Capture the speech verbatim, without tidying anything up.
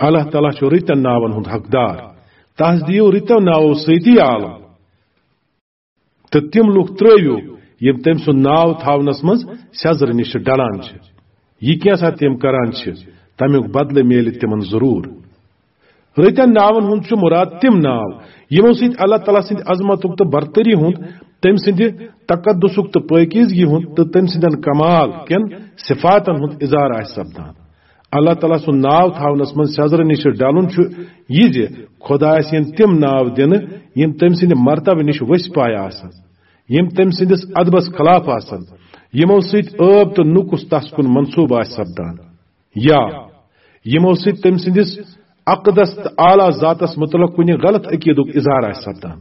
اللہ تعالیٰ چھُ رٕتٮ۪ن ناون ہُنٛد حقدار۔ تس دِیِو رٕتٮ۪و ناوو سۭتی عالم۔ تہٕ تِم لوٗکھ ترٛٲوِو، یِم تٔمۍ سُنٛد ناو تھاونس منٛز سیٚزرٕ نِش ڈلان چھِ۔ یہِ کینٛژھا تِم کران چھِ، تمیُک بدلہٕ میلہِ تِمن ضروٗر۔ رٕتٮ۪ن ناون ہُنٛد چھُ مُراد تِم ناو، یِمو سۭتۍ اللہ تعالیٰ سٕنٛدِ عظمتُک تہٕ برتری ہُنٛد، تٔمۍ سٕنٛدِ تقدسُک تہٕ پٲکیزگی ہُنٛد تہٕ تٔمۍ سٕنٛدٮ۪ن کمال کٮ۪ن صفاتن ہُنٛد اظہار آسہِ سپدان۔ اللہ تعالیٰ سُنٛد ناو تھاونس منٛز سیٚزرٕ نِش ڈلُن چھُ یہِ زِ خۄدایس یِن تِم ناو دِنہٕ، یِم تٔمۍ سٕنٛدِ مرتبہٕ نِش ؤسۍ پایہِ آسن، یِم تٔمۍ سٕنٛدِس ادبس خلاف آسن، یِمو سۭتۍ عٲب تہٕ نُکُس تس کُن منسوب آسہِ سپدان، یا یِمو سۭتۍ تٔمۍ سٕنٛدِس اقدس تہٕ اعلیٰ ذاتس متعلق کُنہِ غلط عقیدُک اظہار آسہِ سپدان۔